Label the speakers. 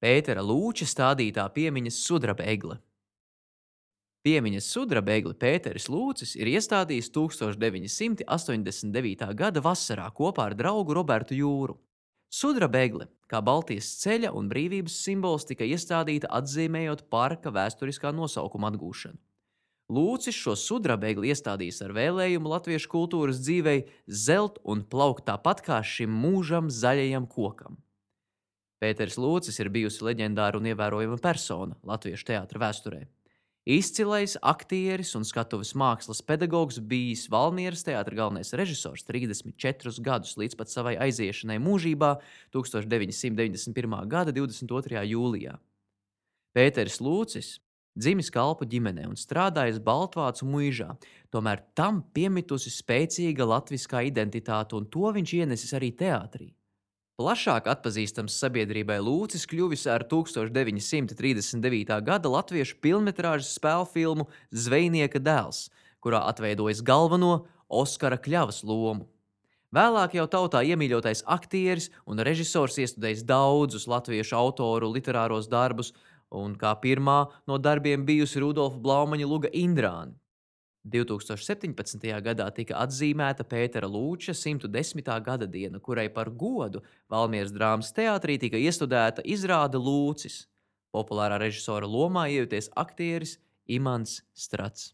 Speaker 1: Pētera Lūča stādītā piemiņas sudraba egle. Piemiņas sudraba egli Pēteris Lūcis ir iestādījis 1989. gada vasarā kopā ar draugu Robertu Jūru. Sudraba egle, kā Baltijas ceļa un brīvības simbols, tika iestādīta atzīmējot parka vēsturiskā nosaukuma atgūšanu. Lūcis šo sudraba egli iestādījis ar vēlējumu latviešu kultūras dzīvei zelt un plaukt tāpat kā šim mūžam zaļajam kokam. Pēters Lūcis ir bijusi leģendāra un ievērojama persona latviešu teātra vēsturē. Izcilais aktieris un skatuves mākslas pedagogs, bijis Valmieras teātra galvenais režisors 34 gadus līdz pat savai aiziešanai mūžībā 1991. gada 22. jūlijā. Pēters Lūcis dzimis kalpu ģimenē un strādājis Baltvācu muižā, tomēr tam piemitusi spēcīga latviskā identitāte, un to viņš ienesis arī teātrī. Plašāk atpazīstams sabiedrībai Lūcis kļuvis ar 1939. gada latviešu pilnmetrāžas spēļu filmu Zvejnieka dēls, kurā atveidojis galveno Oskara Kļavas lomu. Vēlāk jau tautā iemīļotais aktieris un režisors iestudējis daudzus latviešu autoru literāros darbus, un kā pirmā no darbiem bijusi Rudolfa Blaumaņa luga Indrāni. 2017. gadā tika atzīmēta Pētera Lūča 110. gada diena, kurai par godu Valmieras drāmas teātrī tika iestudēta izrāde Lūcis. Populārā režisora lomā iejuties aktieris Imants Strats.